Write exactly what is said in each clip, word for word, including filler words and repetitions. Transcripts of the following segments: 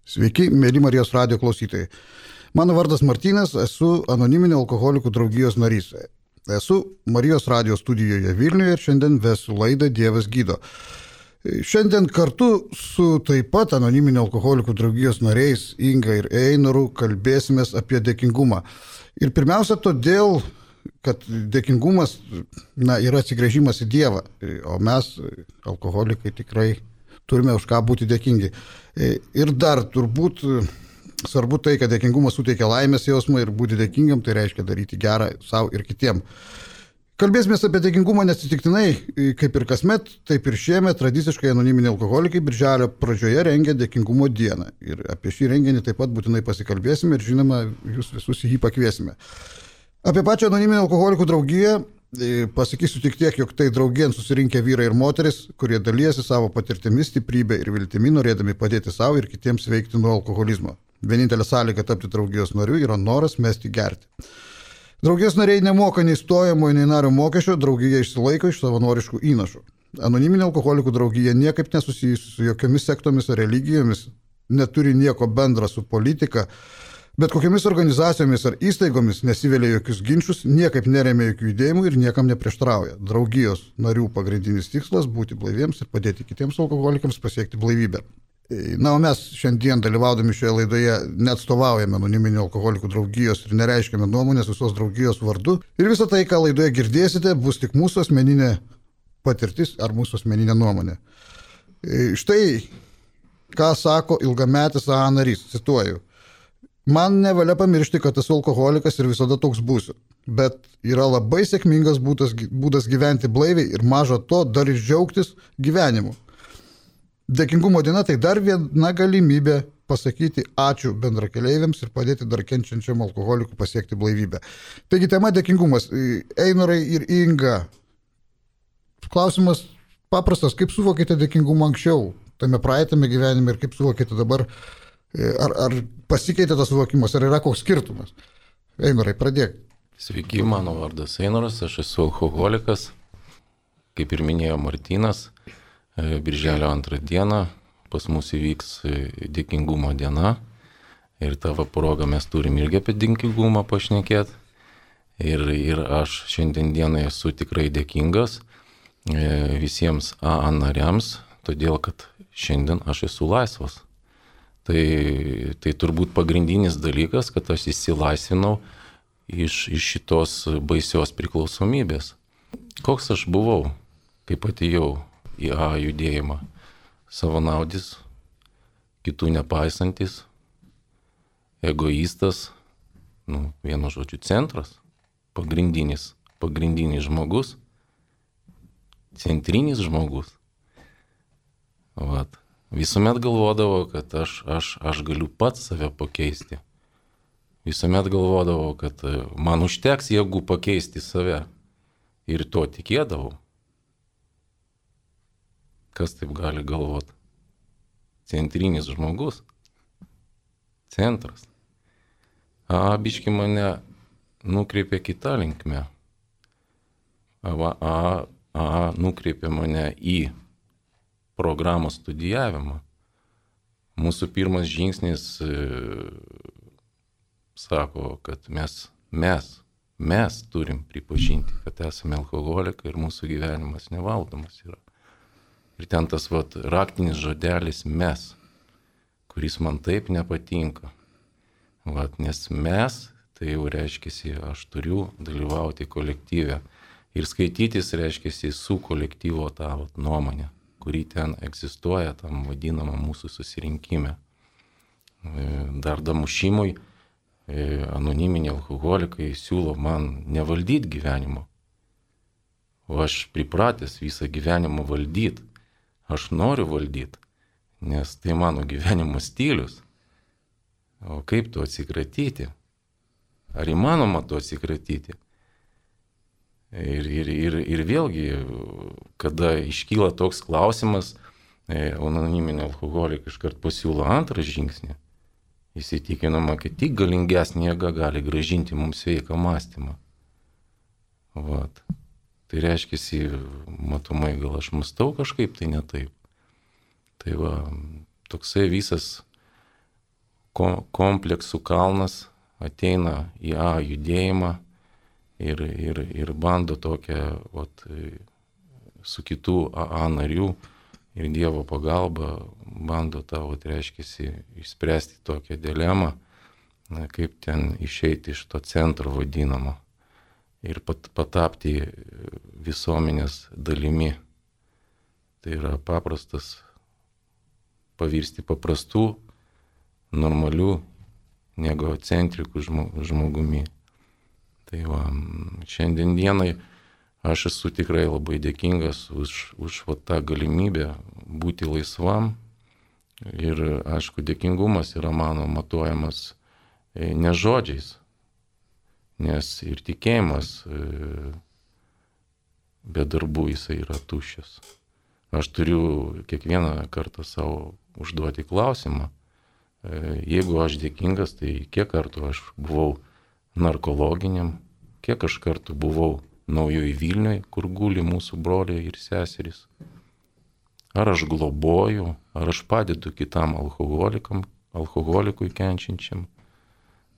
Sveiki, mėly Marijos radijo klausytojai. Mano vardas Martynas, esu anoniminio alkoholikų draugijos narys. Esu Marijos radijo studijoje Vilniuje ir šiandien vesiu laidą Dievas gydo. Šiandien kartu su taip pat anoniminio alkoholikų draugijos nariais Inga ir Einoru kalbėsimės apie dėkingumą. Ir pirmiausia todėl, kad dėkingumas na, yra atsigręžimas į Dievą, o mes, alkoholikai, tikrai turime už ką būti dėkingi. Ir dar turbūt svarbu tai, kad dėkingumas suteikia laimės jausmą ir būti dėkingam, tai reiškia daryti gerą savo ir kitiem. Kalbėsime apie dėkingumą neatsitiktinai, kaip ir kasmet, taip ir šiemet tradiciškai anoniminiai alkoholikai birželio pradžioje rengia dėkingumo dieną. Ir apie šį renginį taip pat būtinai pasikalbėsime ir žinoma, jūs visus jį pakviesime. Apie pačią anoniminę alkoholikų draugiją pasakysiu tik tiek, jog tai draugien susirinkę vyrai ir moteris, kurie dalyjasi savo patirtimis, stiprybę ir viltimi, norėdami padėti savo ir kitiems veikti nuo alkoholizmo. Vienintelė sąlyga tapti draugijos nariu yra noras mesti gerti. Draugijos nariai nemoka nei stojamo, nei nario mokesčio, draugija išsilaiko iš savanoriškų įnašų. Anoniminė alkoholikų draugija niekaip nesusijusi su jokiomis sektomis ar religijomis, neturi nieko bendra su politika, bet kokiamis organizacijomis ar įstaigomis nesivelia jokius ginčius, niekaip neremia jokių judėjimų ir niekam neprieštrauja. Draugijos narių pagrindinis tikslas – būti blaiviems ir padėti kitiems alkoholikams pasiekti blaivybę. Na, o mes šiandien dalyvaudami šioje laidoje neatstovaujame anoniminio alkoholikų draugijos ir nereiškiame nuomonės visos draugijos vardu. Ir visą tai, ką laidoje girdėsite, bus tik mūsų asmeninė patirtis ar mūsų asmeninė nuomonė. Štai, ką sako ilgametis A A narys, cituoju. Man nevalia pamiršti, kad esu alkoholikas ir visada toks būsiu. Bet yra labai sėkmingas būdas, būdas gyventi blaiviai ir maža to dar ir džiaugtis gyvenimu. Dėkingumo diena tai dar viena galimybė pasakyti ačiū bendrakeleiviams ir padėti dar kenčiančiam alkoholikui pasiekti blaivybę. Taigi tema dėkingumas. Einorai ir Inga. Klausimas paprastas, kaip suvokėte dėkingumą anksčiau, tame praeitame gyvenime ir kaip suvokėte dabar? Ar, ar pasikeitė tas suvokimas, ar yra koks skirtumas? Einorai, pradėk. Sveiki, mano vardas Einoras, aš esu alkoholikas, kaip ir minėjo Martynas. Birželio antrą dieną pas mus įvyks dėkingumo diena ir tavo progą mes turim irgi apie dėkingumą pašnekėti. Ir, ir aš šiandien dieną esu tikrai dėkingas visiems A A nariams, todėl kad šiandien aš esu laisvas. Tai, tai turbūt pagrindinis dalykas, kad aš išsilaisvinau iš, iš šitos baisios priklausomybės. Koks aš buvau, kaip atėjau į A A judėjimą? Savanaudis, kitų nepaisantis, egoistas, nu, vienu žodžiu centras, pagrindinis, pagrindinis žmogus, centrinis žmogus. Vat. Visuomet galvodavau, kad aš, aš, aš galiu pats save pakeisti. Visuomet galvodavau, kad man užteks jėgų pakeisti save. Ir to tikėdavau. Kas taip gali galvoti? Centrinis žmogus. Centras. A, biški mane nukreipė kitą linkmę. A, a, a nukreipė mane į programos studijavimą. Mūsų pirmas žingsnis e, sako, kad mes, mes, mes turim pripažinti, kad esame alkoholikai ir mūsų gyvenimas nevaldomas yra. Ir ten tas vat, raktinis žodelis mes, kuris man taip nepatinka. Vat, nes mes, tai jau reiškiasi, aš turiu dalyvauti kolektyve. Ir skaitytis reiškiasi su kolektyvo tą vat, nuomonę, kuri ten egzistuoja tam vadinamą mūsų susirinkime. Dar damušimui anoniminiai alkoholikai siūlo man nevaldyti gyvenimo. O aš pripratęs visą gyvenimą valdyti. Aš noriu valdyti, nes tai mano gyvenimo stilius. O kaip to atsikratyti? Ar įmanoma to atsikratyti? Ir, ir, ir, ir vėlgi, kada iškyla toks klausimas, anoniminė alkoholikė iškart pasiūlo antrą žingsnį, įsitikinama, kad tik galingesnė jėga gali grąžinti mums sveiką mąstymą. Vat. Tai reiškiasi, matomai, gal aš mąstau kažkaip, tai ne taip. Tai va, toksai visas kompleksų kalnas ateina į A judėjimą ir, ir, ir bando tokią vat, su kitų A A narių ir Dievo pagalba bando tavo, tai reiškia, išspręsti tokią dilemą, kaip ten išeiti iš to centro vadinamo ir pat, patapti visuomenės dalimi. Tai yra paprastas pavirsti paprastų, normalių, negocentrikų žmogumi. Tai va, šiandien dienai aš esu tikrai labai dėkingas už, už va, tą galimybę būti laisvam ir, aišku, dėkingumas yra mano matuojamas ne žodžiais, nes ir tikėjimas be darbų jisai yra tuščias. Aš turiu kiekvieną kartą savo užduoti klausimą, jeigu aš dėkingas, tai kiek kartų aš buvau narkologiniam, kiek aš kartų buvau Naujoj Vilnioj, kur guli mūsų broliai ir seserys. Ar aš globoju, ar aš padedu kitam alkoholikam, alkoholikui kenčiančiam.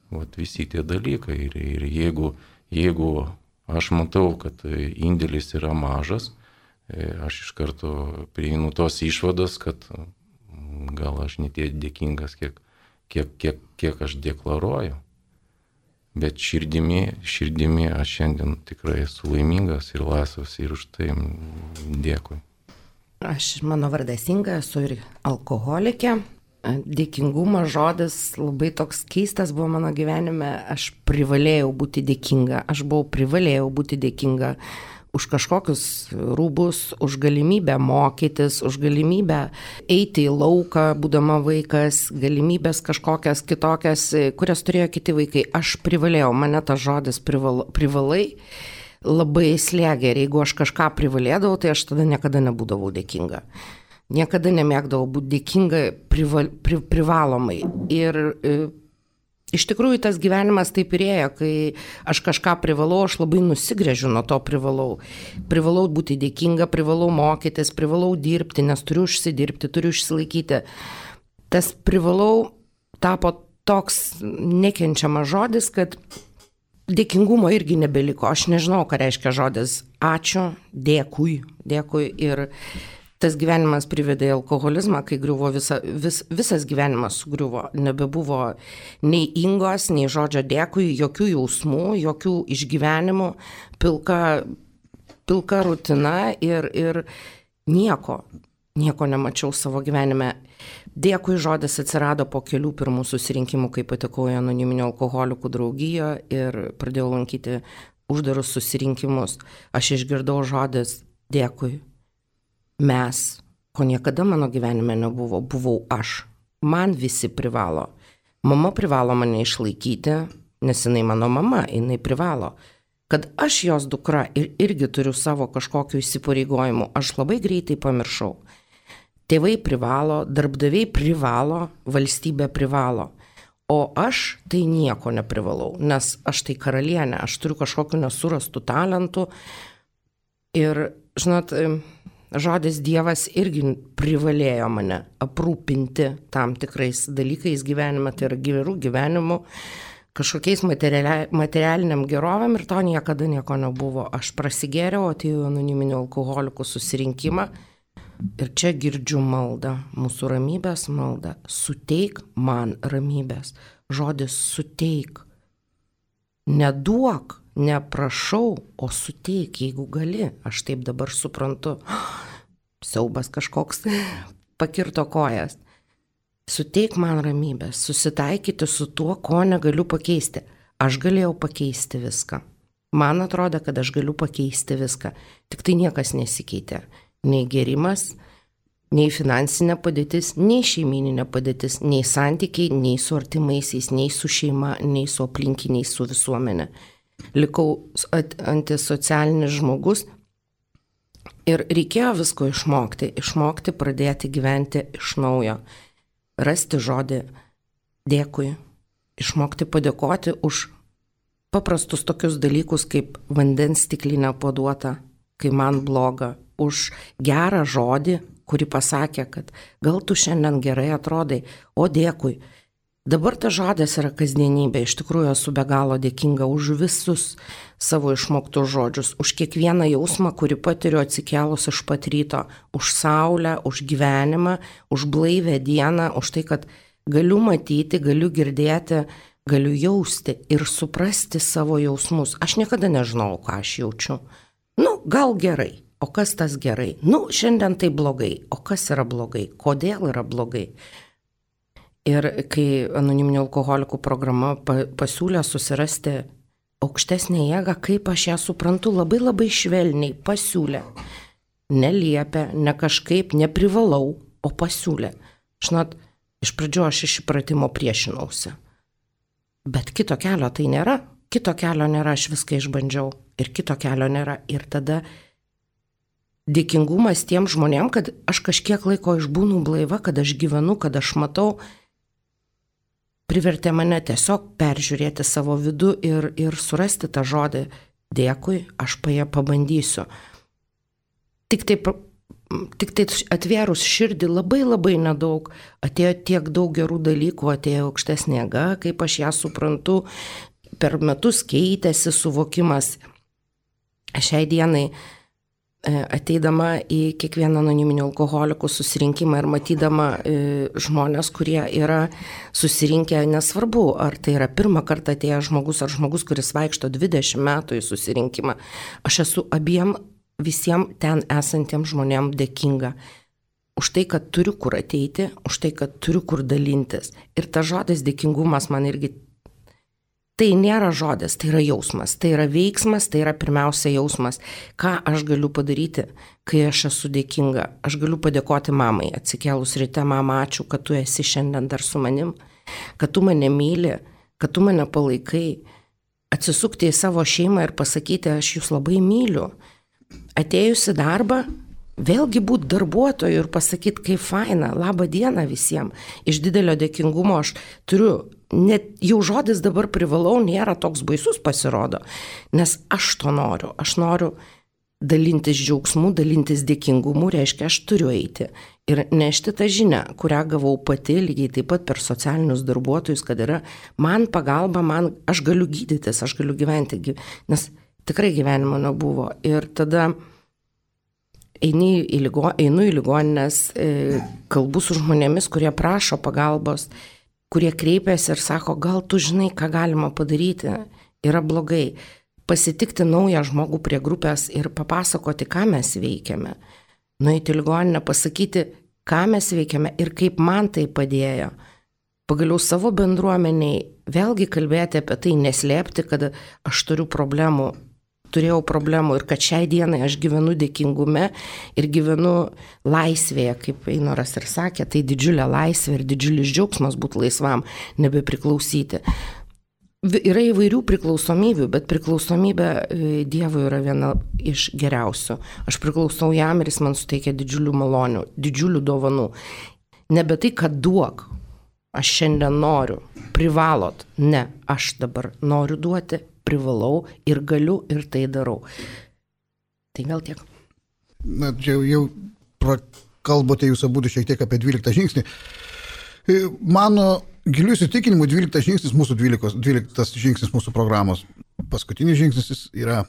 Vat visi tie dalykai. Ir, ir jeigu, jeigu aš matau, kad indėlis yra mažas, aš iš karto prieinu tos išvados, kad gal aš ne tiek dėkingas, kiek, kiek, kiek, kiek aš deklaruoju. Bet širdimi, širdimi aš šiandien tikrai esu laimingas ir laisvas ir už tai dėkui. Aš, mano vardas Inga, esu ir alkoholikė. Dėkingumo žodis labai toks keistas buvo mano gyvenime. Aš privalėjau būti dėkinga. Aš buvau privalėjau būti dėkinga už kažkokius rūbus, už galimybę mokytis, už galimybę eiti į lauką, būdama vaikas, galimybės kažkokias kitokias, kurias turėjo kiti vaikai. Aš privalėjau, mane tas žodis prival, privalai labai slėgė ir jeigu aš kažką privalėdavau, tai aš tada niekada nebūdavau dėkinga. Niekada nemėgdavau būti dėkinga prival, pri, privalomai. Ir e, iš tikrųjų tas gyvenimas taip ir ėjo, kai aš kažką privalau, aš labai nusigręžiu nuo to privalau. Privalau būti dėkinga, privalau mokytis, privalau dirbti, nes turiu užsidirbti, turiu išsilaikyti. Tas privalau tapo toks nekenčiamas žodis, kad dėkingumo irgi nebeliko. Aš nežinau, ką reiškia žodis ačiū, dėkui, dėkui ir tas gyvenimas privedė į alkoholizmą, kai griuvo visa, vis, visas gyvenimas sugriuvo. Nebebuvo nei Ingos, nei žodžio dėkui, jokių jausmų, jokių išgyvenimų, pilka, pilka rutina ir, ir nieko, nieko nemačiau savo gyvenime. Dėkui žodis atsirado po kelių pirmų susirinkimų, kai patekau į anoniminio alkoholikų draugiją ir pradėjau lankyti uždarus susirinkimus. Aš išgirdau žodis dėkui. Mes, ko niekada mano gyvenime nebuvo, buvau aš. Man visi privalo. Mama privalo mane išlaikyti, nes jinai mano mama, jinai privalo. Kad aš jos dukra ir irgi turiu savo kažkokiu įsipareigojimu, aš labai greitai pamiršau. Tėvai privalo, darbdaviai privalo, valstybė privalo. O aš tai nieko neprivalau, nes aš tai karalienė, aš turiu kažkokiu nesurastų talentų. Ir, žinot, žodis Dievas irgi privalėjo mane aprūpinti tam tikrais dalykais gyvenime, tai yra gerų gyvenimų, kažkokiais materialiniam gerovėm ir to niekada nieko nebuvo. Aš prasigėriau, atėjau anoniminio alkoholikų susirinkimą ir čia girdžiu maldą, mūsų ramybės maldą. Suteik man ramybės. Žodis suteik. Neduok. Neprašau, o suteik, jeigu gali. Aš taip dabar suprantu. Siaubas kažkoks pakirto kojas. Suteik man ramybės, susitaikyti su tuo, ko negaliu pakeisti. Aš galėjau pakeisti viską. Man atrodo, kad aš galiu pakeisti viską. Tik tai niekas nesikeitė. Nei gėrimas, nei finansinė padėtis, nei šeimininė padėtis, nei santykiai, nei su artimaisiais, nei su šeima, nei su aplinkiniais, su visuomenė. Likau antisocialinis žmogus ir reikėjo visko išmokti, išmokti pradėti gyventi iš naujo, rasti žodį dėkui, išmokti padėkoti už paprastus tokius dalykus kaip vandens stiklinę paduotą, kai man bloga, už gerą žodį, kuri pasakė, kad gal tu šiandien gerai atrodai, o dėkui. Dabar tas žodis yra kasdienybė. Iš tikrųjų esu be galo dėkinga už visus savo išmoktus žodžius, už kiekvieną jausmą, kurį patiriu atsikėlus iš pat ryto, už saulę, už gyvenimą, už blaivę dieną, už tai, kad galiu matyti, galiu girdėti, galiu jausti ir suprasti savo jausmus. Aš niekada nežinau, ką aš jaučiu. Nu, gal gerai, o kas tas gerai? Nu, šiandien tai blogai, o kas yra blogai? Kodėl yra blogai? Ir kai anoniminių alkoholikų programa pasiūlė susirasti aukštesnę jėgą, kaip aš ją suprantu, labai labai švelniai pasiūlė. Neliepia, ne kažkaip, neprivalau, o pasiūlė. Žinot, iš pradžių aš iš įpratimo priešinausi. Bet kito kelio tai nėra. Kito kelio nėra, aš viską išbandžiau. Ir kito kelio nėra. Ir tada dėkingumas tiem žmonėm, kad aš kažkiek laiko išbūnu blaiva, kad aš gyvenu, kad aš matau, privertė mane tiesiog peržiūrėti savo vidų ir, ir surasti tą žodį. Dėkui, aš paje pabandysiu. Tik tai, tik tai atvėrus širdį labai labai nedaug, atėjo tiek daug gerų dalykų, atėjo aukštesnė jėga, kaip aš ją suprantu, per metus keitėsi suvokimas. Šiai dienai ateidama į kiekvieną anoniminių alkoholikų susirinkimą ir matydama e, žmonės, kurie yra susirinkę, nesvarbu, ar tai yra pirmą kartą atėjęs žmogus, ar žmogus, kuris vaikšto dvidešimt metų į susirinkimą, aš esu abiem visiems ten esantiems žmonėms dėkinga už tai, kad turiu kur ateiti, už tai, kad turiu kur dalintis. Ir ta žodis dėkingumas man irgi tai nėra žodis, tai yra jausmas, tai yra veiksmas, tai yra pirmiausia jausmas. Ką aš galiu padaryti, kai aš esu dėkinga? Aš galiu padėkoti mamai, atsikėlus ryte, mama, ačiū, kad tu esi šiandien dar su manim, kad tu mane myli, kad tu mane palaikai, atsisukti į savo šeimą ir pasakyti, aš jūs labai myliu. Atėjus į darbą, vėlgi būti darbuotoju ir pasakyti, kaip faina, labą dieną visiems. Iš didelio dėkingumo aš turiu, net jau žodis dabar privalau, nėra toks baisus pasirodo, nes aš to noriu. Aš noriu dalintis džiaugsmu, dalintis dėkingumu, reiškia, aš turiu eiti ir nešti tą žinią, kurią gavau pati, lygiai taip pat per socialinius darbuotojus, kad yra man pagalba, man, aš galiu gydytis, aš galiu gyventi, nes tikrai gyvenimo nebuvo. Ir tada einu į, ligo, einu į ligoninės, kalbu su žmonėmis, kurie prašo pagalbos, kurie kreipiasi ir sako, gal tu žinai, ką galima padaryti, yra blogai. Pasitikti naują žmogų prie grupės ir papasakoti, ką mes veikiame. Nueiti į ligoninę, pasakyti, ką mes veikiame ir kaip man tai padėjo. Pagaliau savo bendruomeniai vėlgi kalbėti apie tai, neslėpti, kad aš turiu problemų. Turėjau problemų ir kad šiai dienai aš gyvenu dėkingume ir gyvenu laisvėje, kaip Einoras ir sakė, tai didžiulė laisvė ir didžiulis džiaugsmas būti laisvam, nebepriklausyti. Yra įvairių priklausomybių, bet priklausomybė Dievui yra viena iš geriausių. Aš priklausau jam ir jis man suteikia didžiulių malonių, didžiulių dovanų. Nebe tai, kad duok, aš šiandien noriu, privalot, ne, aš dabar noriu duoti, privalau ir galiu ir tai darau. Tai gal tiek. Na, čia jau, jau kalbate jūs abu šiek tiek apie dvyliktą žingsnį. Mano gilių įsitikinimų dvyliktas žingsnis mūsų dvylikos, dvyliktas žingsnis mūsų programos. Paskutinis žingsnis yra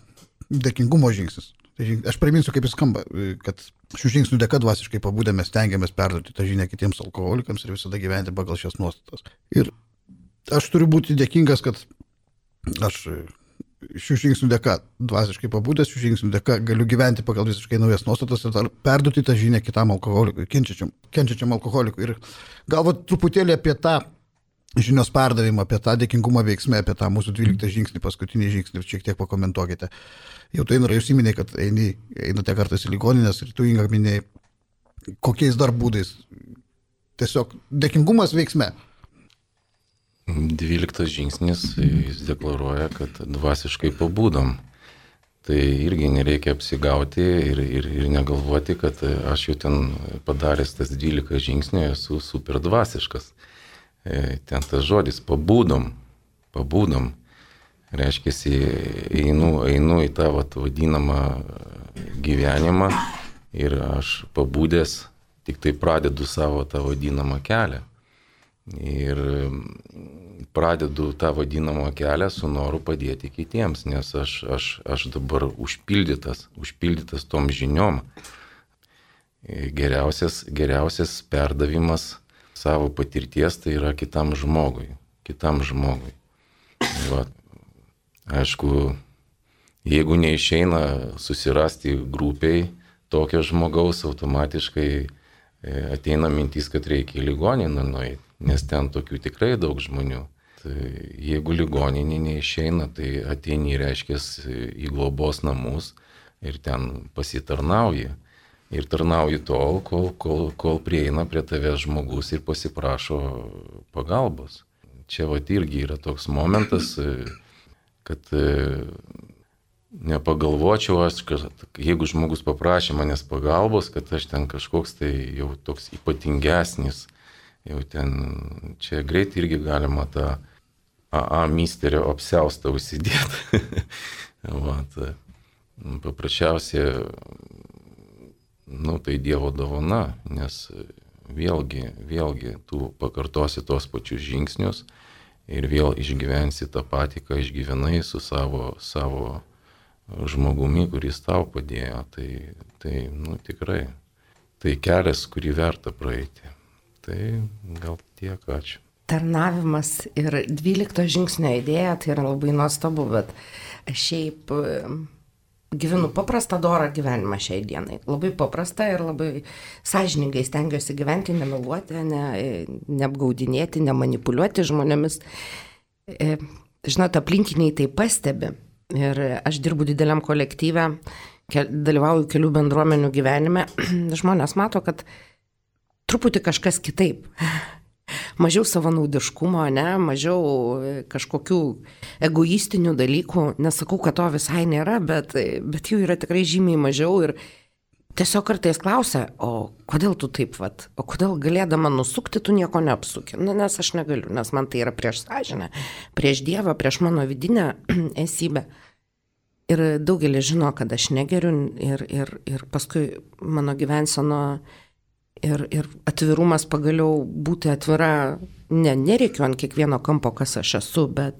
dėkingumo žingsnis. Aš priminsiu, kaip jis skamba, kad šių žingsnių dėka dvasiškai pabudę mes stengiamės perduoti tą žinią kitiems alkoholikams ir visada gyventi pagal šias nuostatas. Ir aš turiu būti dėkingas, kad aš šių žingsnių dėka dvasiškai pabudęs, šių žingsnių dėka galiu gyventi pagal visiškai naujas nuostatas ir perduoti tą žinią kitam alkoholikui, kenčiačiam, kenčiačiam alkoholikui. Ir galbūt truputėlį apie tą žinios perdavimą, apie tą dėkingumą veiksmę, apie tą mūsų dvyliktą žingsnį, paskutinį žingsnį, šiek tiek pakomentuokite. Jau tai norėjau įsiminė, kad eini, einate kartais į ligoninės ir tu, Inga, minėjai, kokiais dar būdais. Tiesiog dėkingumas veiksme. Dvyliktas žingsnis, jis deklaruoja, kad dvasiškai pabudom. Tai irgi nereikia apsigauti ir, ir, ir negalvoti, kad aš jau ten padaręs tas dvylika žingsnių esu super dvasiškas. Ten tas žodis pabudom, pabudom. Reiškia, einu, einu į tą vat, vadinamą gyvenimą ir aš pabudęs tik tai pradedu savo tą vadinamą kelią. Ir pradedu tą vadinamą kelią su noru padėti kitiems, nes aš, aš, aš dabar užpildytas, užpildytas tom žiniom. Geriausias, geriausias perdavimas savo patirties tai yra kitam žmogui, kitam žmogui. Va. Aišku, jeigu neišeina susirasti grupiai tokio žmogaus, automatiškai ateina mintis, kad reikia į ligoninę nueiti, nes ten tokių tikrai daug žmonių. Tai jeigu ligoninė neišeina, tai ateini, reiškia, į globos namus ir ten pasitarnauji. Ir tarnauji tol, kol, kol, kol prieina prie tavęs žmogus ir pasiprašo pagalbos. Čia vat irgi yra toks momentas, kad nepagalvočiau aš, kad jeigu žmogus paprašė manęs pagalbos, kad aš ten kažkoks tai jau toks ypatingesnis, jau ten, čia greit irgi galima tą A A misterio apsiaustą užsidėti. Vat, paprasčiausiai, nu tai Dievo dovana, nes vėlgi, vėlgi tu pakartosi tos pačius žingsnius ir vėl išgyvensi tą patį, ką išgyvenai su savo, savo žmogumi, kuris tau padėjo. Tai, tai, nu tikrai, tai kelias, kurį verta praeiti. Tai gal tiek, ačiū. Tarnavimas ir dvylikto žingsnio idėja, tai yra labai nuostabu, bet šiaip gyvenu paprastą dorą gyvenimą šiai dienai. Labai paprastą ir labai sąžiningai stengiuosi gyventi, nemeluoti, ne, neapgaudinėti, nemanipuliuoti žmonėmis. Žinote, aplinkiniai tai pastebi. Ir aš dirbu dideliam kolektyve, dalyvauju kelių bendruomenių gyvenime. Žmonės mato, kad truputį kažkas kitaip. Mažiau savanaudiškumo, ne, mažiau kažkokių egoistinių dalykų. Nesakau, kad to visai nėra, bet, bet jų yra tikrai žymiai mažiau ir tiesiog kartais klausia, o kodėl tu taip, vat, o kodėl galėdama nusukti, tu nieko neapsuki. Na, nes aš negaliu, nes man tai yra prieš sąžinę, prieš Dievą, prieš mano vidinę esybę. Ir daugelis žino, kad aš negeriu ir, ir, ir paskui mano gyvenseno Ir, ir atvirumas pagaliau būti atvira, ne, nereikiu ant kiekvieno kampo, kas aš esu, bet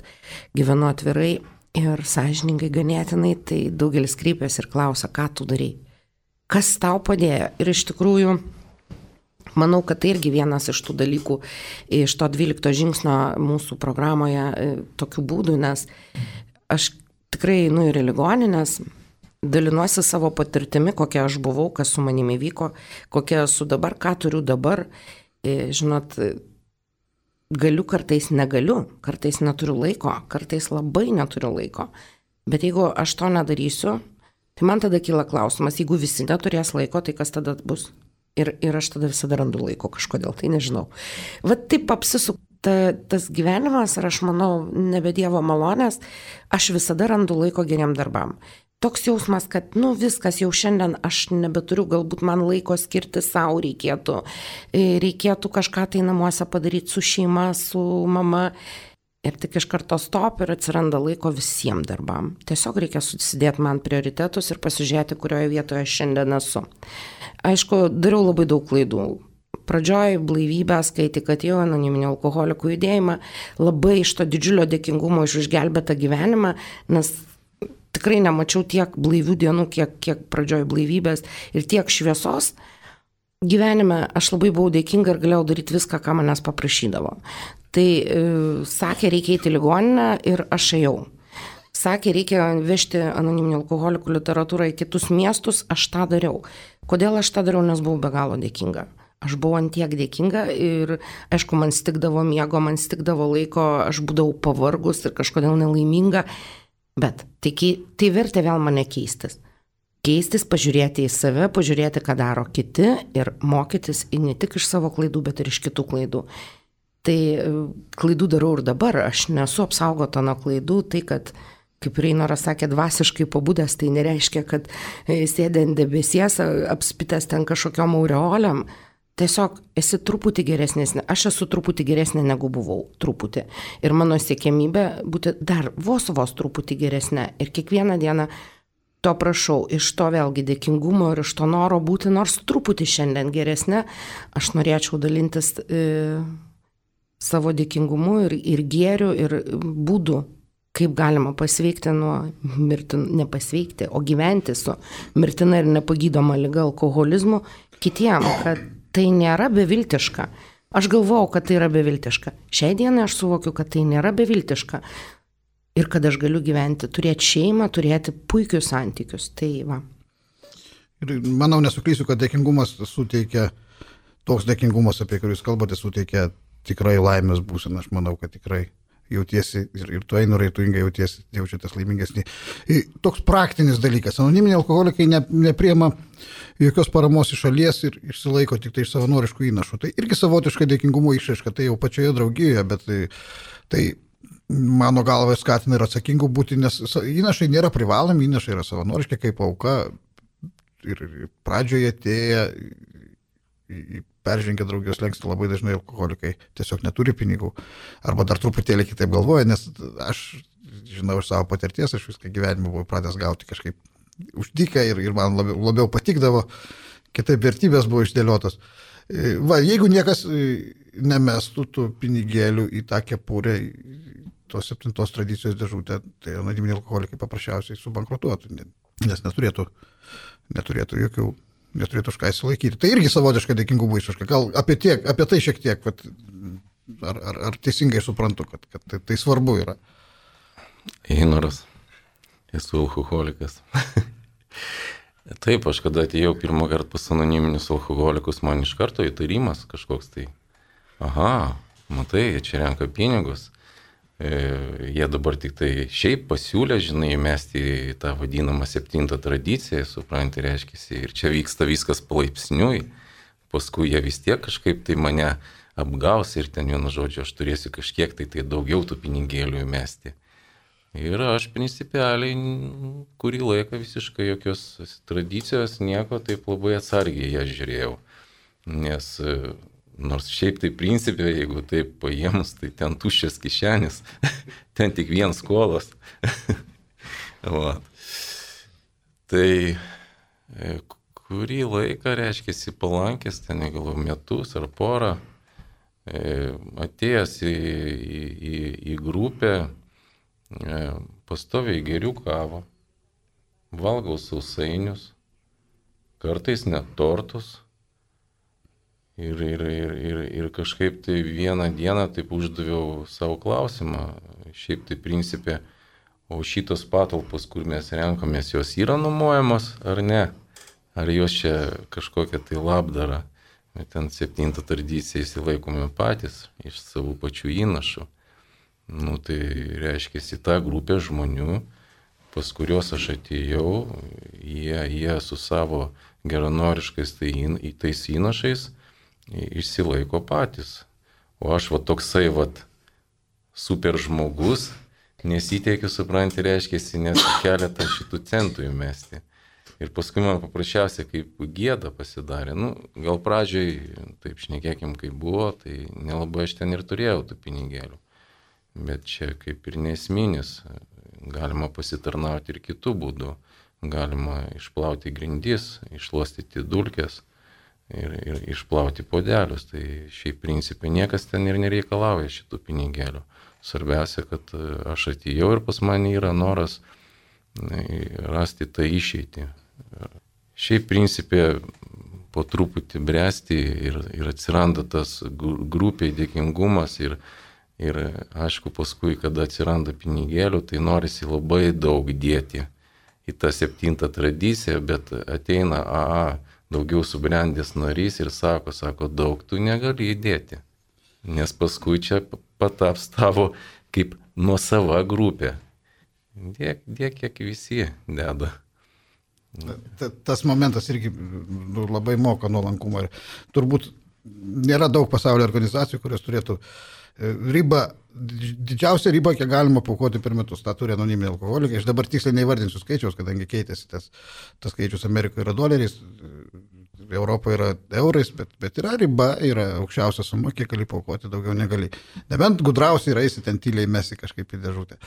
gyvenu atvirai ir sąžiningai ganėtinai, tai daugelis kreipiasi ir klausia, ką tu darai, kas tau padėjo. Ir iš tikrųjų, manau, kad tai irgi vienas iš tų dalykų, iš to dvylikto žingsnio mūsų programoje tokių būdų, nes aš tikrai einu ir į ligoninės, dalinuosi savo patirtimi, kokia aš buvau, kas su manimi vyko, kokia esu dabar, ką turiu dabar. Žinot, galiu, kartais negaliu, kartais neturiu laiko, kartais labai neturiu laiko. Bet jeigu aš to nedarysiu, tai man tada kyla klausimas, jeigu visi neturės laiko, tai kas tada bus? Ir, ir aš tada visada randu laiko kažkodėl, tai nežinau. Vat taip apsisukta tas gyvenimas ir aš manau, nebe Dievo malonės, aš visada randu laiko geriem darbam. Toks jausmas, kad, nu, viskas jau šiandien aš nebeturiu, galbūt man laiko skirti savo reikėtų. Reikėtų kažką tai namuose padaryti su šeima, su mama. Ir tik iš karto stop ir atsiranda laiko visiems darbam. Tiesiog reikia susidėti man prioritetus ir pasižiūrėti, kurioje vietoje aš šiandien esu. Aišku, dariau labai daug klaidų. Pradžioj blaivybės, kai tik atėjau anoniminio alkoholikų judėjimą, labai iš to didžiulio dėkingumo už išgelbėtą gyvenimą, nes tikrai nemačiau tiek blaivių dienų, kiek, kiek pradžioj blaivybės ir tiek šviesos. Gyvenime aš labai buvau dėkinga ir galėjau daryti viską, ką manęs paprašydavo. Tai e, sakė, reikia eiti į ligoninę ir aš ėjau. Sakė, reikia vežti anoniminį alkoholikų literatūrą į kitus miestus, aš tą dariau. Kodėl aš tą dariau, nes buvau be galo dėkinga. Aš buvau ant tiek dėkinga ir, aišku, man stikdavo miego, man stikdavo laiko, aš būdavau pavargus ir kažkodėl nelaiminga. Bet tai, tai vertė vėl mane keistis. Keistis, pažiūrėti į save, pažiūrėti, ką daro kiti ir mokytis ne tik iš savo klaidų, bet ir iš kitų klaidų. Tai klaidų darau ir dabar, aš nesu apsaugota nuo klaidų, tai kad, kaip Reinoras sakė, dvasiškai pabudęs, tai nereiškia, kad sėdė ant debesies, apspitęs ten kažkokiom aureolėm. Tiesiog esi truputį geresnis, aš esu truputį geresnė negu buvau, truputį. Ir mano siekiamybė būti dar vos vos truputį geresnė. Ir kiekvieną dieną to prašau, iš to vėlgi dėkingumo ir iš to noro būti nors truputį šiandien geresnė, aš norėčiau dalintis e, savo dėkingumu ir, ir gėriu ir būdu, kaip galima pasveikti nuo mirtin, nepasveikti, o gyventi su mirtina ir nepagydoma liga alkoholizmu kitiem, kad tai nėra beviltiška. Aš galvojau, kad tai yra beviltiška. Šiai dienai aš suvokiu, kad tai nėra beviltiška. Ir kad aš galiu gyventi, turėti šeimą, turėti puikius santykius. Tai va. Ir manau, nesuklysiu, kad dėkingumas suteikia, toks dėkingumas, apie kurį jūs kalbate, suteikia tikrai laimės būseną. Aš manau, kad tikrai jautiesi ir, ir tu einu raituingai jautiesi, jaučiatės laimingesnį. Ir toks praktinis dalykas. Anoniminiai alkoholikai ne, nepriema jokios paramos iš šalies ir išsilaiko tik tai iš savanoriškų įnašų. Tai irgi savotiškai dėkingumo išraiška, tai jau pačioje draugijoje, bet tai, tai mano galva skatina ir atsakingų būti, nes įnašai nėra privalomi, įnašai yra savanoriški kaip auka ir pradžioje atėję peržengia draugijos slenkstį labai dažnai alkoholikai tiesiog neturi pinigų arba dar truputėlį kitaip galvoja, nes aš žinau iš savo patirties, aš viską gyvenimą buvau pradęs gauti kažkaip uždyką ir, ir man labiau, labiau patikdavo, kitaip vertybės buvo išdėliotos. Va, jeigu niekas nemestų tų pinigėlių į tą kepurę, tos septintos tradicijos dėžutę, tai anoniminiai alkoholikai paprasčiausiai subankrutuotų, nes neturėtų, neturėtų jokių neturėtų už ką įsilaikyti. Tai irgi savotiška dėkingumo išraiška. Gal apie, tiek, apie tai šiek tiek, vat, ar, ar, ar teisingai suprantu, kad, kad tai, tai svarbu yra. Einoras, esu alkoholikas. Taip, aš kada atėjau pirmą kartą pas anoniminius alkoholikus, man iš karto įtarimas kažkoks tai. Aha, matai, jie čia renka pinigus. E, jie dabar tik tai šiaip pasiūlė, žinai, mesti į tą vadinamą septintą tradiciją, supranti, reiškiasi, ir čia vyksta viskas palaipsniui, paskui jie vis tiek kažkaip tai mane apgaus ir ten vienu žodžiu, aš turėsiu kažkiek tai, tai daugiau tų pinigėlių mesti. Ir aš principialiai kurį laiką visiškai jokios tradicijos, nieko, taip labai atsargiai ją žiūrėjau, nes nors šiaip tai principė, jeigu taip paėmus, tai ten tuščias kišenis, ten tik vien skolos. Tai kurį laiką, reiškiasi, palankęs, ten gal metus ar porą, atėjęs į, į, į grupę, pastoviai geriu kavą, valgau sausainius, kartais net tortus. Ir, ir, ir, ir, ir kažkaip tai vieną dieną taip uždaviau savo klausimą, šiaip tai principė, o šitos patalpos, kur mes renkamės, jos yra nuomojamos ar ne? Ar jos čia kažkokia tai labdara? Ten septintą tradiciją įsilaikome patys iš savo pačių įnašų. Nu tai reiškia, į tą grupę žmonių, pas kuriuos aš atėjau, jie, jie su savo geranoriškais tai, tais įnašais išsilaiko patys. O aš va toksai va super žmogus, nesiteikiu, supranti, reiškiasi, nes keletą šitų centų įmesti. Ir paskui man paprasčiausiai kaip gėda pasidarė. Nu, gal pradžioj, taip šnekėkim, kaip buvo, tai nelabai aš ten ir turėjau tų pinigėlių. Bet čia kaip ir nesminis, galima pasitarnauti ir kitų būdų. Galima išplauti grindis, išluostyti dulkes. Ir, ir išplauti podelius, tai šiaip principai niekas ten ir nereikalauja šitų pinigėlių. Svarbiausia, kad aš atėjau ir pas mane yra noras rasti tą išeitį. Šiaip principė po truputį bręsti ir, ir atsiranda tas grupiai dėkingumas ir, ir aišku paskui, kada atsiranda pinigėlių, tai norisi labai daug dėti į tą septintą tradiciją, bet ateina A A daugiau subrendęs narys ir sako, sako, daug tu negali įdėti, nes paskui čia pataps tavo kaip nuosava grupė. Dėk, dėk, kiek visi deda. Tas momentas irgi labai moka nuolankumą. Turbūt nėra daug pasaulio organizacijų, kurios turėtų ribą, didžiausią ribą, kiek galima paukoti per metus. Ta turi anoniminiai alkoholikai. Aš dabar tiksliai neįvardinsiu skaičiaus, kadangi keitėsi tas, tas skaičius Amerikoje yra doleriais, Europoje yra eurais, bet, bet yra riba, yra aukščiausia suma, kiek gali paukoti, daugiau negali. Nebent gudrausiai raisi ten tyliai mesi kažkaip į dėžutę.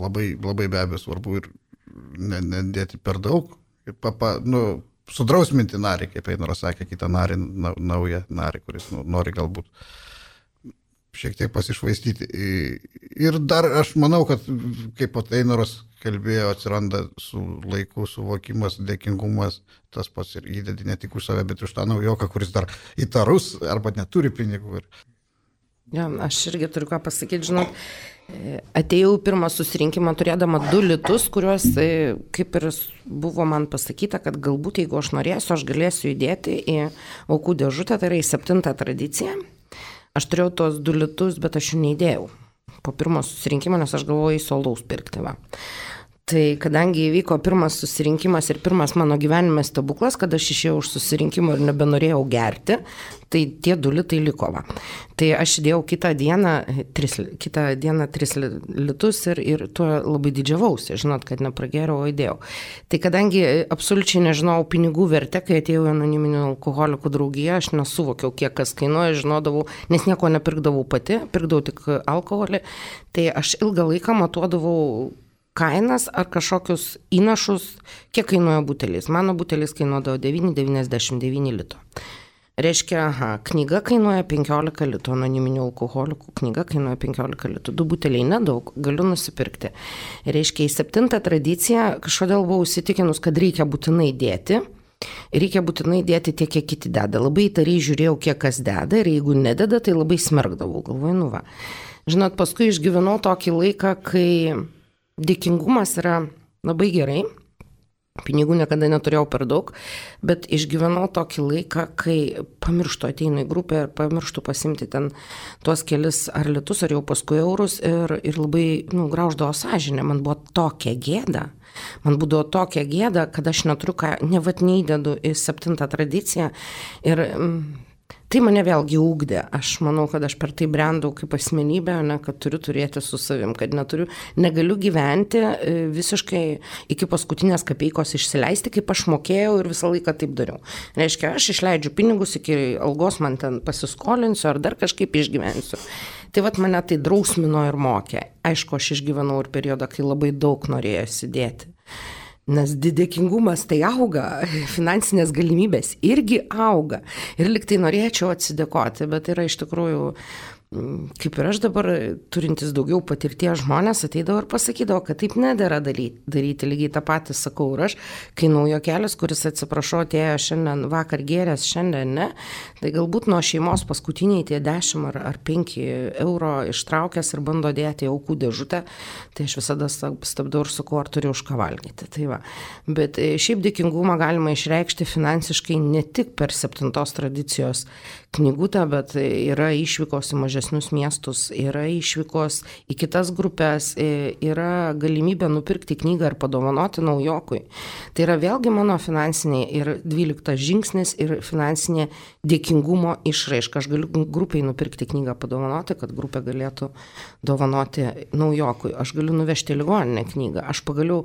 Labai, labai be abejo svarbu ir nedėti per daug. Ir papa, nu, sudrausminti narį, kaip Einoras sakė, kitą narį, naują narį, kuris nu, nori galbūt šiek tiek pasišvaistyti. Ir dar aš manau, kad kaip pat Einoras kalbėjo, atsiranda su laiku suvokimas, dėkingumas, tas pats ir įdedi ne tik už save, bet už tą naujoką, kuris dar įtarus arba neturi pinigų. Ja, aš irgi turiu ką pasakyti, žinot, atėjau pirmą susirinkimą turėdama du litus, kuriuos kaip ir buvo man pasakyta, kad galbūt jeigu aš norėsiu, aš galėsiu įdėti į aukų dėžutę, tai yra į septintą tradiciją. Aš turėjau tos du litus, bet aš jų neįdėjau po pirmo susirinkimo, nes aš galvojau į solaus pirkti. Va. Tai kadangi įvyko pirmas susirinkimas ir pirmas mano gyvenime stebuklas, kad aš išėjau už susirinkimo ir nebenorėjau gerti, tai tie du litai liko. Va. Tai aš įdėjau kitą dieną tris, kitą dieną tris litus ir, ir tuo labai didžiavausi, žinot, kad nepragėriau, o įdėjau. Tai kadangi absoliučiai nežinau pinigų vertę, kai atėjau į anoniminių alkoholikų draugiją, aš nesuvokiau, kiek kas kainuoja, žinodavau, nes nieko nepirkdavau pati, pirkdavau tik alkoholį, tai aš ilgą laiką matuodavau kainas ar kažkokius įnašus, kiek kainuoja butelis. Mano butelis kainuodavo devyni devyniasdešimt devyni lito. Reiškia, aha, knyga kainuoja penkiolika litų, anoniminių alkoholikų knyga kainuoja penkiolika litų. Du buteliai nedaug, galiu nusipirkti. Reiškia, į septintą tradiciją kažkodėl buvau įsitikinus, kad reikia būtinai dėti. Reikia būtinai dėti tiek, kiek kiti deda. Labai įtariai žiūrėjau, kiek kas deda ir jeigu nededa, tai labai smerkdavau. Galvoju, nu va. Žinot, paskui išgyvenau tokį laiką, kai dėkingumas yra labai gerai, pinigų niekada neturėjau per daug, bet išgyvenau tokį laiką, kai pamirštu ateinu į grupę ir pamirštu pasimti ten tuos kelis ar litus, ar jau paskui eurus ir, ir labai nu, grauždavo sąžinę. Man buvo tokia gėda, man būdavo tokia gėda, kad aš neturiu ką, nevat neįdedu į septintą tradiciją ir mm, tai mane vėlgi ugdė. Aš manau, kad aš per tai brendau kaip asmenybė, ne, kad turiu turėti su savim, kad neturiu, negaliu gyventi visiškai iki paskutinės kapeikos išsileisti, kaip aš mokėjau ir visą laiką taip dariau. Reiškia, aš išleidžiu pinigus, iki algos man ten pasiskolinsiu ar dar kažkaip išgyvensiu. Tai vat mane tai drausmino ir mokė. Aišku, aš išgyvenau ir periodą, kai labai daug norėjosi dėti. Nes dėkingumas tai auga, finansinės galimybės irgi auga. Ir lyg tai norėčiau atsidėkoti, bet yra iš tikrųjų, kaip ir aš dabar, turintis daugiau patirties žmonės, ateidavo ir pasakydavo, kad taip nedėra daryti. daryti. Lygiai tą patį sakau ir aš, kai naujo kelias, kuris atsiprašau, atėjo šiandien vakar gėrės, šiandien ne, tai galbūt nuo šeimos paskutiniai tie dešimt ar, ar penki euro ištraukęs ir bando dėti į aukų dėžutę, tai aš visada stabdau ir sakau, ar turiu už ką valgyti. Tai va. Bet šiaip dėkingumą galima išreikšti finansiškai ne tik per septintos tradicijos knygutę, bet yra išvykos į mažesnius miestus, yra išvykos į kitas grupės, yra galimybė nupirkti knygą ir padovanoti naujokui. Tai yra vėlgi mano finansinė ir dvyliktas žingsnis ir finansinė dėkingumo išraiška. Aš galiu grupiai nupirkti knygą padovanoti, kad grupė galėtų dovanoti naujokui. Aš galiu nuvežti ligoninę knygą. Aš pagaliau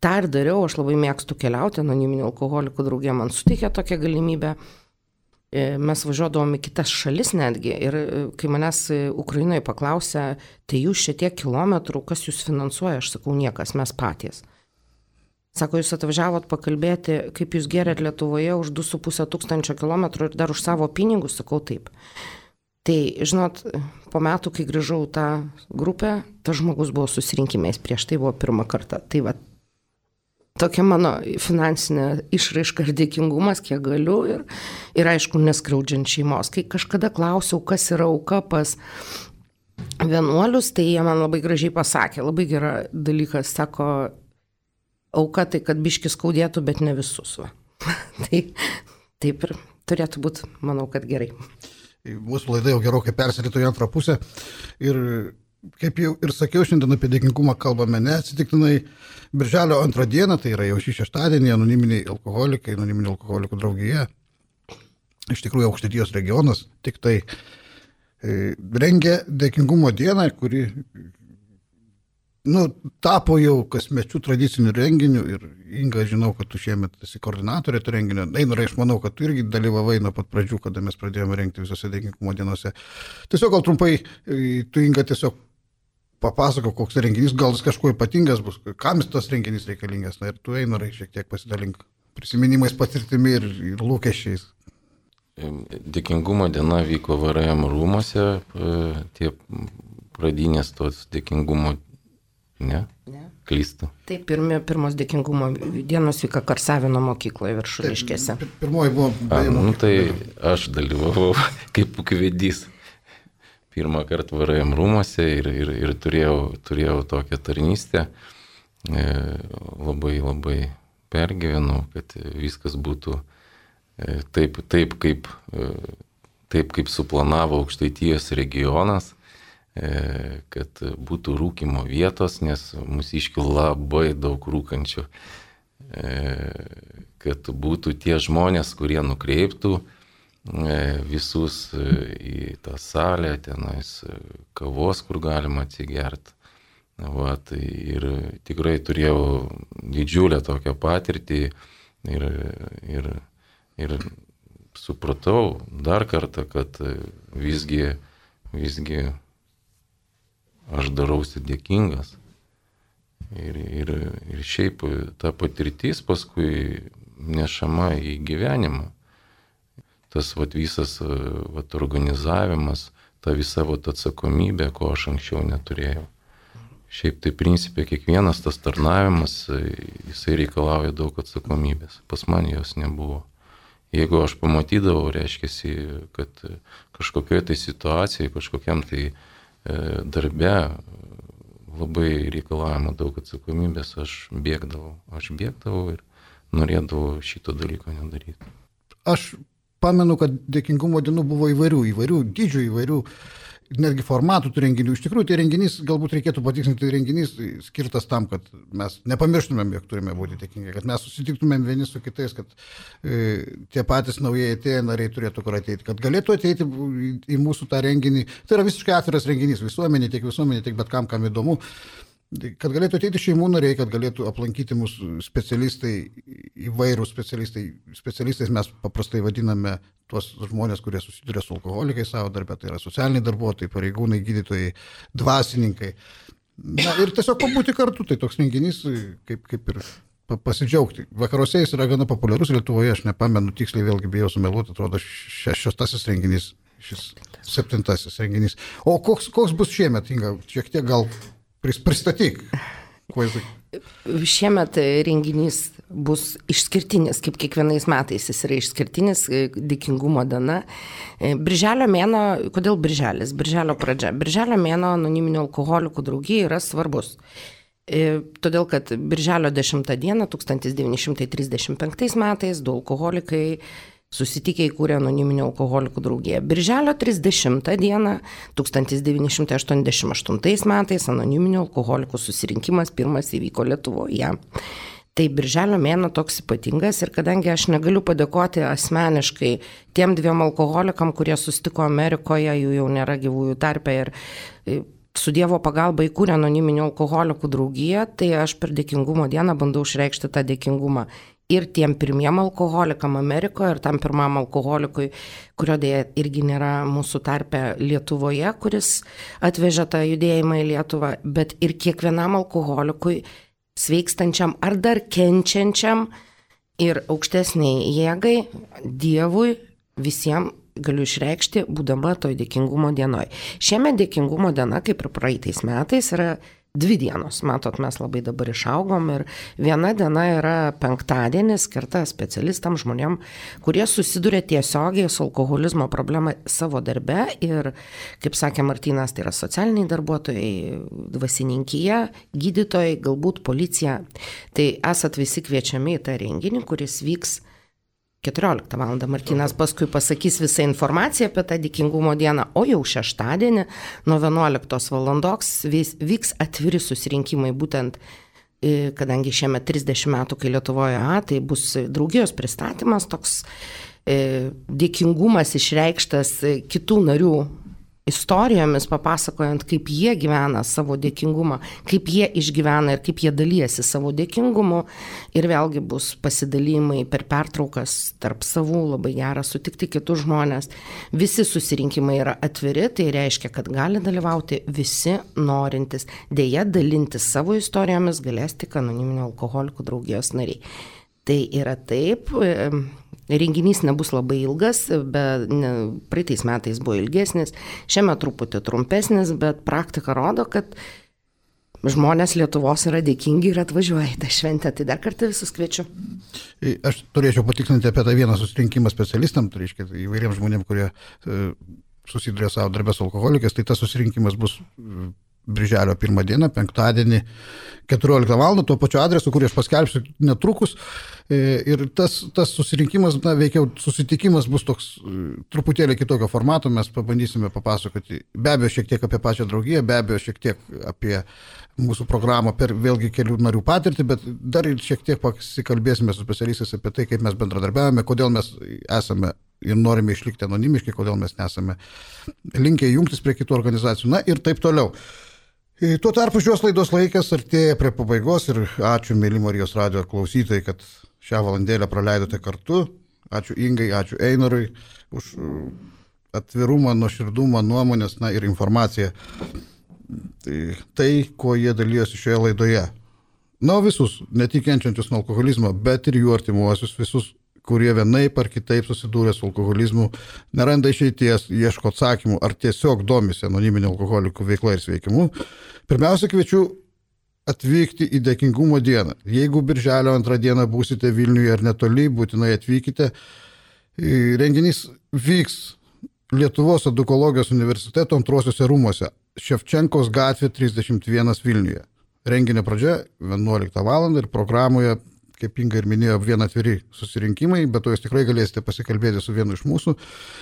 tą ir dariau, aš labai mėgstu keliauti, anoniminių alkoholikų draugė man suteikė tokią galimybę. Mes važiuodavom į kitas šalis netgi ir kai manęs Ukrainoje paklausė, tai jūs šiek kilometrų, kas jūs finansuoja, aš sakau, niekas, mes patys. Sako, jūs atvažiavot pakalbėti, kaip jūs gerėt Lietuvoje už du su puse tūkstančio kilometrų ir dar už savo pinigus, sakau taip. Tai, žinot, po metų, kai grįžau tą grupę, tas žmogus buvo susirinkimais, prieš tai buvo pirmą kartą. Tai va, tokia mano finansinė išraiška ir dėkingumas, kiek galiu ir, ir aišku, neskriaudžiant šeimos. Kai kažkada klausiau, kas yra auka pas vienuolius, tai jie man labai gražiai pasakė, labai gera dalykas, sako, auka tai, kad biškis skaudėtų, bet ne visus. Va. Tai taip ir turėtų būti, manau, kad gerai. Mūsų laida jau gerokai persirito į antrą pusę ir kaip jau ir sakiau, šiandien apie dėkingumą kalbame neatsitiktinai. Birželio antrą dieną, tai yra jau šį šeštadienį, anoniminiai alkoholikai, anoniminių alkoholikų draugija, iš tikrųjų Aukštaitijos regionas, tik tai e, rengia dėkingumo dieną, kuri nu, tapo jau kasmečių tradicinių renginių ir Inga, žinau, kad tu šiemet esi koordinatorė to renginio. Einorai, aš manau, kad tu irgi dalyvavai nuo pat pradžių, kada mes pradėjome rengti visose dėkingumo dienose. Tiesiog gal trumpai, tu Inga tiesiog papasako, koks renginys, gal jis kažkuo ypatingas bus, kam tas renginys reikalingas. Na ir tu, Einorai, šiek tiek pasidalink prisiminimais, patirtimi ir, ir lūkesčiais. Dėkingumo diena vyko V R M rūmose, tie pradinės tos dėkingumo, ne? Ne. Klystu. Taip, pirmi, pirmos dėkingumo dienos vyko Karsavino mokykloje Viršuliškėse. Pirmoji buvo... A, nu tai aš dalyvavau kaip ūkvedys pirmą kartą V R M rūmose ir, ir, ir turėjau, turėjau tokią tarnystę. E, labai, labai pergyvenau, kad viskas būtų e, taip, taip, kaip, e, taip, kaip suplanavo Aukštaitijos regionas, kad būtų rūkimo vietos, nes mūsiškių labai daug rūkančių, kad būtų tie žmonės, kurie nukreiptų visus į tą salę, tenais kavos, kur galima atsigerti. Va, tai ir tikrai turėjau didžiulę tokią patirtį ir, ir, ir supratau dar kartą, kad visgi, visgi aš darausi dėkingas. Ir, ir, ir šiaip ta patirtis paskui nešama į gyvenimą. Tas vat, visas vat, organizavimas, ta visa vat, atsakomybė, ko aš anksčiau neturėjau. Šiaip tai principė kiekvienas tas tarnavimas, jisai reikalauja daug atsakomybės. Pas man jos nebuvo. Jeigu aš pamatydavau, reiškia, kad kažkokioje tai situacijoje, kažkokiam tai darbe labai reikalavimo daug atsakomybės, aš bėgdavau, aš bėgdavau ir norėdavau šito dalyko nedaryti. Aš pamenu, kad dėkingumo dienų buvo įvairių, įvairių dydžių, įvairių netgi formatų tų renginių. Iš tikrųjų, tai renginys, galbūt reikėtų patikslinti, tai renginys skirtas tam, kad mes nepamirštumėm, jog turime būti dėkingi, kad mes susitiktumėm vieni su kitais, kad e, tie patys naujieji atėję nariai turėtų kur ateiti, kad galėtų ateiti į, į mūsų tą renginį. Tai yra visiškai atviras renginys, visuomenė, tiek visuomenė, tiek bet kam, kam įdomu. Kad galėtų ateiti šeimų nariai, kad galėtų aplankyti mūsų specialistai, įvairūs specialistai. Specialistais mes paprastai vadiname tuos žmonės, kurie susiduria su alkoholikais savo darbę, tai yra socialiniai darbuotojai, pareigūnai, gydytojai, dvasininkai. Na, ir tiesiog pabūti kartu, tai toks renginys, kaip, kaip ir pasidžiaugti. Vakaruose jis yra gana populiarus, Lietuvoje aš nepamenu tiksliai, vėlgi bijau sumeluoti, atrodo šeštasis renginys, šis septintasis renginys. O koks, koks bus šiemet, Inga, šiek tiek gal pristatyk. Šiemet renginys bus išskirtinis, kaip kiekvienais metais jis yra išskirtinis, dėkingumo diena. Birželio mėnuo, kodėl birželis? Birželio pradžia. Birželio mėnuo anoniminių alkoholikų draugijai yra svarbus. Todėl, kad birželio dešimtą dieną tūkstantis devyni šimtai trisdešimt penktais metais du alkoholikai susitikę įkūrė anoniminių alkoholikų draugiją. Birželio trisdešimtą dieną tūkstantis devyni šimtai aštuoniasdešimt aštuntais metais anoniminių alkoholikų susirinkimas pirmas įvyko Lietuvoje. Tai birželio mėnuo toks ypatingas ir kadangi aš negaliu padėkoti asmeniškai tiem dviem alkoholikam, kurie susitiko Amerikoje, jų jau nėra gyvųjų tarpe ir su Dievo pagalba įkūrė anoniminių alkoholikų draugiją, tai aš per dėkingumo dieną bandau išreikšti tą dėkingumą ir tiem pirmiem alkoholikam Amerikoje, ir tam pirmam alkoholikui, kurio dėja irgi nėra mūsų tarpe Lietuvoje, kuris atvežė tą judėjimą į Lietuvą, bet ir kiekvienam alkoholikui sveikstančiam ar dar kenčiančiam ir aukštesniai jėgai, Dievui, visiems galiu išreikšti, būdama toj dėkingumo dienoj. Šiemet dėkingumo diena, kaip ir praeitais metais, yra dvi dienos. Matot, mes labai dabar išaugom ir viena diena yra penktadienis, skirta specialistam, žmonėm, kurie susiduria tiesiogiai su alkoholizmo problema savo darbe ir, kaip sakė Martynas, tai yra socialiniai darbuotojai, dvasininkija, gydytojai, galbūt policija. Tai esat visi kviečiami į tą renginį, kuris vyks keturioliktą valandą. Martynas paskui pasakys visą informaciją apie tą dėkingumo dieną, o jau šeštadienį nuo vienuoliktos valandos vyks atviri susirinkimai, būtent kadangi šiemet trisdešimt metų, kai Lietuvoje, a, tai bus draugijos pristatymas, toks e, dėkingumas išreikštas kitų narių istorijomis, papasakojant, kaip jie gyvena savo dėkingumą, kaip jie išgyvena ir kaip jie dalyjasi savo dėkingumu. Ir vėlgi bus pasidalymai per pertraukas tarp savų, labai gera sutikti kitus žmonės. Visi susirinkimai yra atviri, tai reiškia, kad gali dalyvauti visi norintys. Deja, dalintis savo istorijomis galės tik anoniminių alkoholikų draugijos nariai. Tai yra taip, renginys nebus labai ilgas, bet ne, praeitais metais buvo ilgesnis, šiame truputį trumpesnis, bet praktika rodo, kad žmonės Lietuvos yra dėkingi ir atvažiuoja į tą šventę, tai dar kartą visus kviečiu. Aš turėčiau patikslinti apie tą vieną susirinkimą specialistam, tai reiškia įvairiems žmonėms, kurie susiduria savo darbę su alkoholikais, tai tas susirinkimas bus birželio pirmą dieną, penktadienį, keturioliktą valandą, tuo pačiu adresu, kurį aš paskelbsiu netrukus. Ir tas, tas susirinkimas, na, veikiau susitikimas bus toks truputėlį kitokio formato, mes pabandysime papasakoti, be abejo, šiek tiek apie pačią draugiją, be abejo, šiek tiek apie mūsų programą per vėlgi kelių narių patirtį, bet dar ir šiek tiek pasikalbėsime su specialistais apie tai, kaip mes bendradarbiavame, kodėl mes esame ir norime išlikti anonimiškai, kodėl mes nesame linkę jungtis prie kitų organizacijų, na ir taip toliau. Tuo tarpu šios laidos laikas artėja prie pabaigos ir ačiū, mėly Marijos radijo klausytojai, kad šią valandėlę praleidote kartu. Ačiū Ingai, ačiū Einarui už atvirumą, nuoširdumą, nuomonės, na ir informaciją. Tai, tai kuo jie dalyjosi šioje laidoje. Na, visus, ne tik kenčiančius nuo alkoholizmo, bet ir jų artimuosius, visus, kurie vienaip ar kitaip susidūrė su alkoholizmu, neranda išeities, ieško atsakymų ar tiesiog domisi anoniminio alkoholikų veikla ir sveikimu. Pirmiausia, kviečiu atvykti į dėkingumo dieną. Jeigu birželio antrą dieną būsite Vilniuje ar netoli, būtinai atvykite. Renginys vyks Lietuvos edukologijos universiteto antrosiuose rūmuose, Ševčenkos gatvė trisdešimt vienas Vilniuje. Renginio pradžia vienuoliktą valandą ir programoje, kaip Inga ir minėjo, vien atviri susirinkimai, bet to jūs tikrai galėsite pasikalbėti su vienu iš mūsų.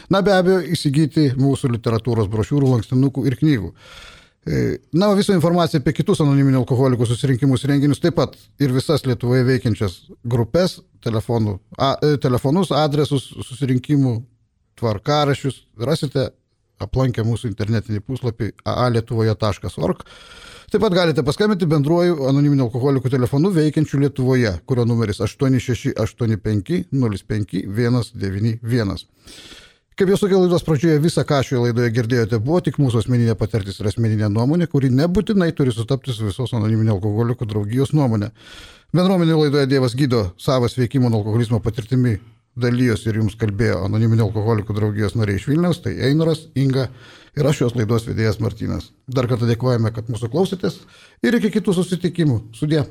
Na, be abejo, įsigyti mūsų literatūros brošiūrų, lankstinukų ir knygų. Na, visą informaciją apie kitus anoniminio alkoholikų susirinkimus ir renginius, taip pat ir visas Lietuvoje veikiančias grupės, telefonų, a, telefonus, adresus, susirinkimų, tvarkaraščius rasite aplankę mūsų internetinį puslapį a a lietuvoje taškas org. Taip pat galite paskambinti bendruoju anoniminio alkoholikų telefonu veikiančiu Lietuvoje, kurio numeris aštuoni šeši aštuoni penki nulis penki vienas devyni vienas. Kaip jau sakiau laidos pradžioje, visą, ką šioje laidoje girdėjote, buvo tik mūsų asmeninė patirtis ir asmeninė nuomonė, kuri nebūtinai turi sutapti su visos anoniminio alkoholikų draugijos nuomonė. Bendruomenė laidoje Dievas gydo savo sveikimo nuo alkoholizmo patirtimi dalyjosi ir jums kalbėjo anoniminio alkoholikų draugijos nariai iš Vilniaus, tai Einaras, Inga ir aš šios laidos vedėjas Martynas. Dar kartą dėkojame, kad mūsų klausėtės ir iki kitų susitikimų. Sudie.